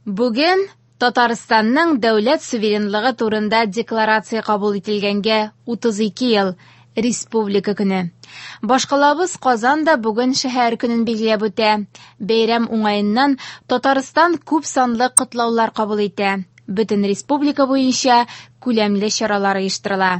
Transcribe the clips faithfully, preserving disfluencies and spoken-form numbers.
Бүген Татарстанның дәүләт суверенлыгы турында декларация кабул ителгәнгә утыз ике ел, Республика көне. Башкалабыз Казан да бүген шәһәр көнен билгеләп үтә. Бәйрәм уңаеннан Татарстан күп санлы котлаулар кабул итә. Бөтен республика буенча күләмле чаралар оештырыла.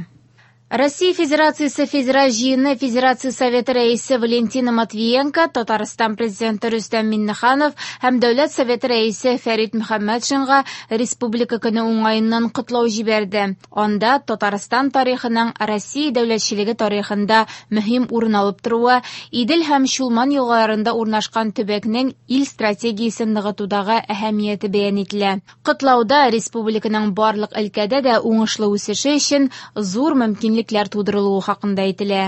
Россия Федерациясе Федераль җыены Федерация Советы рәисе Валентина Матвиенко, Татарстан президенты Рөстәм Миңнеханов һәм Дәүләт Советы рәисе Фәрит Мөхәммәтшинга Республика көне уңаеннан котлау җибәрде. Анда Татарстан тарихының Россия дәүләтчелеге тарихында мөһим урын алып торуы, Идел һәм Чулман елгаларында урнашкан төбәкнең ил стратегиясен ныгытудагы әһәмияте бәян ителә. Котлауда республиканың барлык өлкәдә дә уңышлы үсеше өчен зур мөмкинлекләр тудырылуы хакында әйтелә.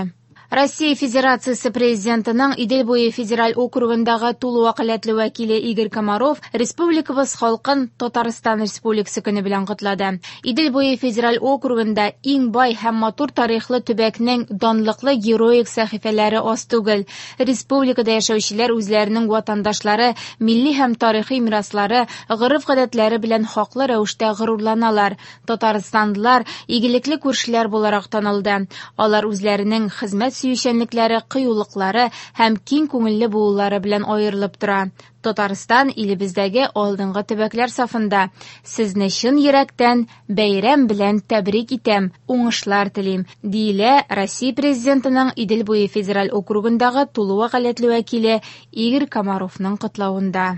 Россия Федерациясе президентының Идел буе федераль округындагы тулы вәкаләтле вәкиле Игорь Комаров республикабыз халкын Татарстан Республикасы көне белән котлады. Идел буе федераль округында иң бай һәм матур тарихлы төбәкнең данлыклы героик сәхифәләре аз түгел. Республикада яшәүчеләр үзләренең ватандашлары, милли һәм тарихи мираслары, гореф-гадәтләре белән хаклы рәвештә горурланалар. Татарстанлылар игелекле күршеләр буларак танылды. Алар үзләренең хезмәт сөючәнлекләре, кыюлыклары һәм киң күңелле булулары белән аерылып тора. Татарстан илебездәге алдынгы төбәкләр сафында. Сезне чын йөрәктән бәйрәм белән тәбрик итәм, уңышлар телим, диелә Россия президентының Идел буе федераль округындагы тулы вәкаләтле вәкиле Игорь Комаровның котлавында.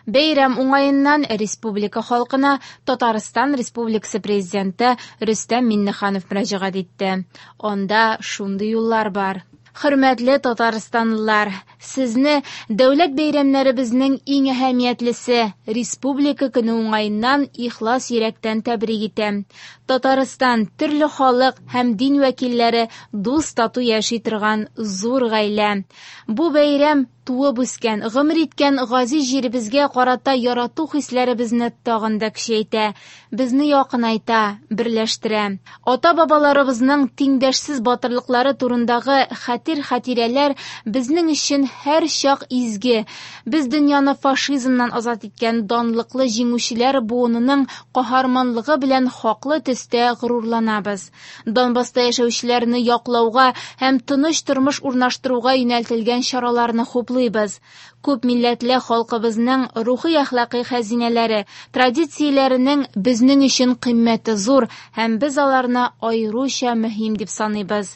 Бәйрәм уңаеннан республика халкына Татарстан Республикасы президенты Рөстәм Миңнеханов мөрәҗәгать итте. Анда шундый юллар бар. Хөрмәтле татарстанлылар, сезне дәүләт бәйрәмнәребезнең иң әһәмиятлесе Республика көне уңаеннан ихлас йөрәктән тәбрик итәм. Татарстан төрле халык һәм дин вәкилләре дус тату яши торган зур гаилә. Бу бәйрәм туып үскән, гомер иткән газиз җиребезгә карата ярату хисләребезне тагын да көчәйтә, безне якынайта, берләштерә. Ата-бабаларыбызның тиңдәшсез батырлыклары турындагы хәтер-хатирәләр безнең өчен һәр чак изге. Без дөньяны фашизмнан азат иткән данлыклы җиңүчеләр буынының каһарманлыгы белән хаклы төстә горурланабыз. Донбасста яшәүчеләрне яклауга һәм тыныч тормыш урнаштыруга юнәлтелгән чараларны хуплыйбыз. Күп милләтле халкыбызның рухи әхлакый хәзинәләре, традицияләренең безнең өчен кыйммәте зур һәм без аларны аеруча мөһим дип саныйбыз.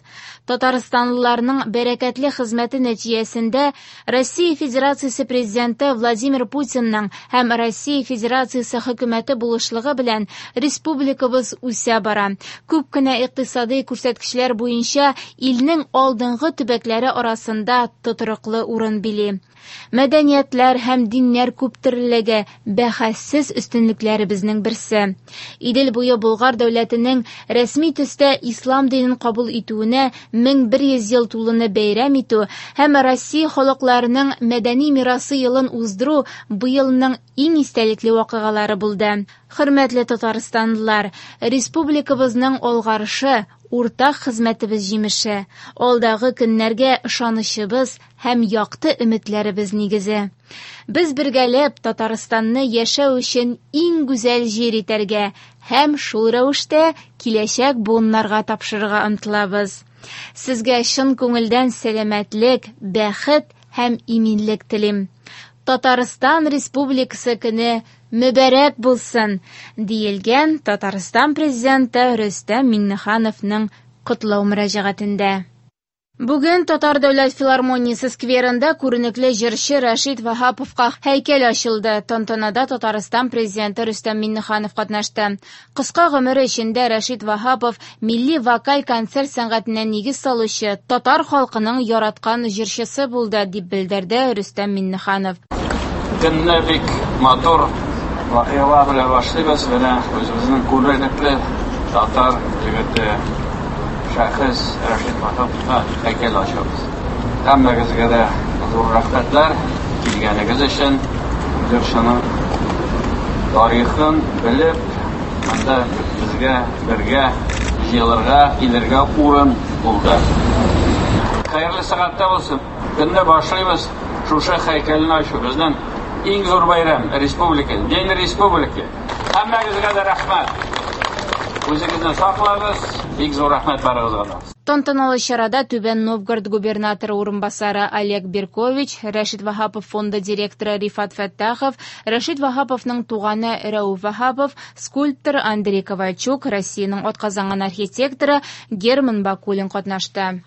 Татарстанлыларның бәрәкәтле хезмәте нәтиҗәсендә Россия Федерациясе президенты Владимир Путинның һәм Россия Федерациясе хөкүмәте булышлыгы белән республикабыз үсә бара. Күп кенә икътисади күрсәткечләр буенча илнең алдынгы төбәкләре арасында тотрыклы урын били. Мәдәниятләр һәм диннәр күптөрлелеге бәхәссез өстенлекләребезнең берсе. Идел буе Болгар дәүләтенең рәсми төстә ислам динен кабул итүенә мең бер йөз ел тулуны бәйрәм итү һәм Россия халыкларының мәдәни мирасы елын уздыру быелның иң истәлекле вакыйгалары булды. Хөрмәтле татарстанлылар, республикабызның алгарышы уртак хезмәтебез җимеше, алдагы көннәргә ышанычыбыз һәм якты өметләребез нигезе. Без бергәләп Татарстанны яшәү өчен иң гүзәл җир итәргә һәм шул рәвештә киләчәк буыннарга тапшырырга омтылабыз. Сезгә чын күңелдән сәламәтлек, бәхет һәм иминлек телим. Татарстан Республикасы көне мөбарәк булсын, диелгән Татарстан президенты Рөстәм Миңнехановның котлау мөрәҗәгатендә. Бүген Татар дәүләт филармониясе скверында күренекле җырчы Рәшит Ваһаповка һәйкәл ачылды. Тантанада Татарстан президенты Рөстәм Миңнеханов катнашты. Кыска гомере эчендә Рәшит Ваһапов милли вокаль концерт сәнгатенә нигез салучы, татар халкының яраткан җырчысы булды, дип белдерде Рөстәм Миңнеханов. Көнне бик матур вакыйгалар белән башлыйбыз. Менә үзебезнең күренекле татар егете шәхес Рәшит Ваһаповка һәйкәл ачабыз. Һәммәгезгә дә зур рәхмәтләр килгәнегез өчен. Җырчының тарихын белеп, монда безгә бергә җыелырга, килергә урын булды. Хәерле сәгатьтә булсын. Көнне башлыйбыз шушы һәйкәлне ачу. Безнең Иң зур бәйрәм республика, День республики. Һәммәгезгә дә рәхмәт. Үзегезне саклагыз, бик зур рәхмәт барыгызга да. Тантаналы чарада Түбән Новгород губернаторы урынбасары Олег Беркович, Рәшит Ваһапов фонды директоры Рифат Фәттахов, Рәшит Ваһаповның туганы Рәүф Ваһапов, скульптор Андрей Ковальчук, Россиянең атказанган архитекторы Герман Бакулин катнашты.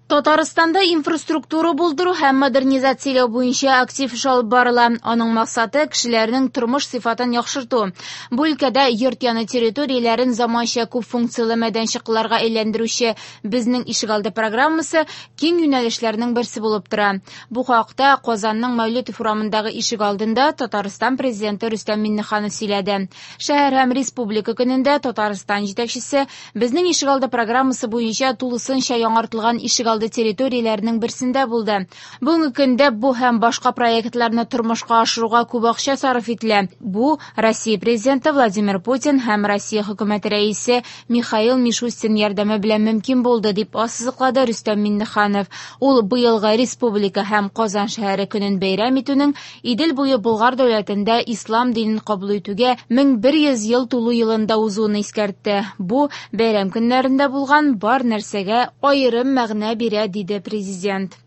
Татарстанда инфраструктура булдыру һәм модернизацияләү буенча актив эш алып барыла. Аның максаты кешеләрнең тормыш сыйфатын яхшырту. Бу өлкәдә йорт яны территорияләрен заманча күп функцияле мәйданчыкларга әйләндерүче Безнең ишегалды программасы киң юнәлешләрнең берсе булып тора. Бу хакта Казанның Мәүлетов урамындагы ишегалдында Татарстан президенты Рөстәм Миңнеханов сөйләде. Шәһәр һәм республика көнендә Татарстан җитәкчесе Безнең ишегалды программасы буенча тулысынча яңартылган ишегалды территорияләренең берсендә булды. Бүгенге көндә бу һәм башка проектларны тормышка ашыруга күп акча сарыф ителә. Бу Россия президенты Владимир Путин һәм Россия хөкүмәте рәисе Михаил Мишустин ярдәме белән мөмкин булды, дип ассызыклады Рөстәм Миңнеханов. Ул быелгы республика һәм Казан шәһәре көнен бәйрәм итүнең Идел буе Болгар дәүләтендә ислам динен кабул итүгә мең бер йөз ел тулу елында узуын искәртте. Бу бәйрәм көннәрендә булган бар нәрсәгә аерым мәгънә бирә, диде президент.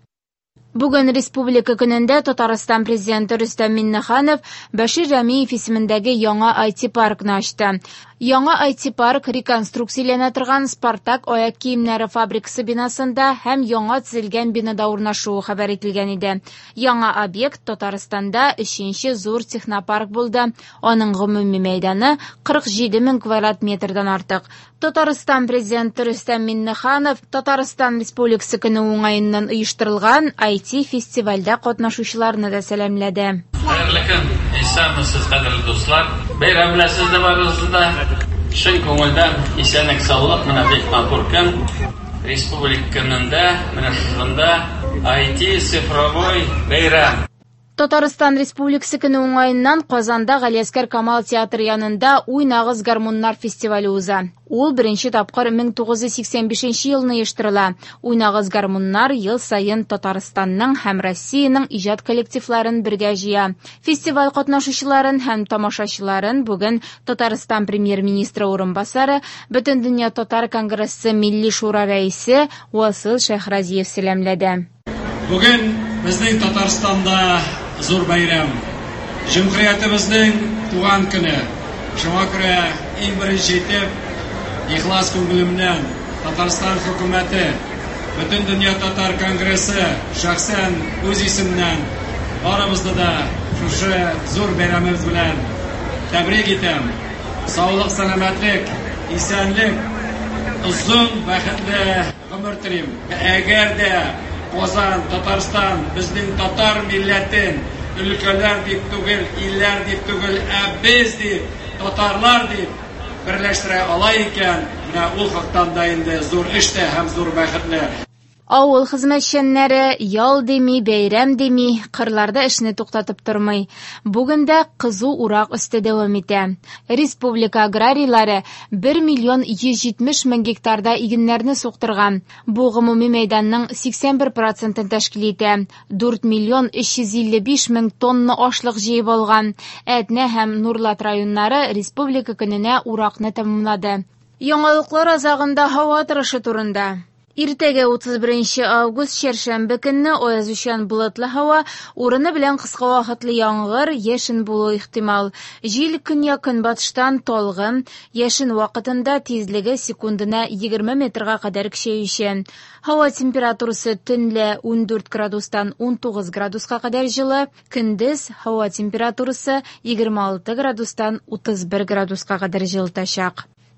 Бүген Республика көнендә Татарстан президенты Рөстәм Миңнеханов Бәшир Рәмиев исемендәге яңа ай ти-паркны ачты. Яңа ай ти-парк реконструкцияләнә торган Спартак аяк киемнәре фабрикасы бинасында һәм яңа төзелгән бинада урнашуы хәбәр ителгән иде. Яңа объект Татарстанда өченче зур технопарк булды. Аның гомуми мәйданы кырык җиде мең квадрат метрдан артык. Татарстан президенты Рөстәм Миңнеханов Татарстан Республикасы көне уңаеннан оештырылган ай ти-фестивальдә катнашучыларны да сәламләде. Хәерле көн, исәнмесез, кадерле дуслар. Бәйрәм белән сезне барыгызны да чын күңелдән исәнлек, саулык, менә бик матур көн. Республика көнендә, менә шушында ай ти цифровой бәйрәм. Татарстан Республикасы көне уңаеннан Казанда Галиәсгар Камал театры янында Уйнагыз гармуннар фестивале уза. Ул беренче тапкыр мең тугыз йөз сиксән бишенче елны оештырыла. Уйнагыз гармуннар ел саен Татарстанның һәм Россиянең иҗат коллективларын бергә җыя. Фестиваль катнашучыларын һәм тамашачыларын бүген Татарстан премьер-министры урынбасары, Бөтендөнья татар конгрессы Милли шура рәисе Васил Шәйхразиев сәламләде. Бүген безнең Татарстанда зур бәйрәм. Җөмһүриятебезнең туган көне. Шуңа күрә иң беренче итеп ихлас күңелемнән Татарстан хөкүмәте, Бөтендөнья татар конгрессы, шәхсән үз исемнән барыбызны да шушы зур бәйрәмебез белән тәбрик итәм. Саулык, сәламәтлек, исәнлек, озын бәхетле гомер телим. Әгәр дә Казан, Татарстан безнең татар милләтен өлкәләр дип түгел, илләр дип түгел, ә без дип, татарлар дип берләштерә ала икән, менә ул хактан да инде зур эш тә һәм зур бәхетле. Авыл хезмәтчәннәре ял дими, бәйрәм дими, кырларда эшне туктатып тормый. Бүген дә кызу урак өсте дәвам итә. Республика аграрийлары бер миллион йөз җитмеш мең гектарда игеннәрне суктырган. Бу гомуми мәйданның сиксән бер процентын тәшкил итә. Дүрт миллион өч йөз илле биш мең тонна ашлык җыеп алган. Әтнә һәм Нурлат районнары Республика көненә уракны тәмамлады. Яңалыклар азагында һава торышы турында. Иртәгә утыз беренче август чәршәмбе көнне аязучан болытлы һава, урыны белән кыска вакытлы яңгыр, яшен булуы ихтимал. Җил көньяк-көнбатыштан талгын, яшен вакытында тизлеге секундына егерме метрга кадәр көчәючән. Һава температурасы төнлә ундүрт градустан унтугыз градуска кадәр җылы, көндез һава температурасы егерме алты градустан утыз бер градуска кадәр җылытачак.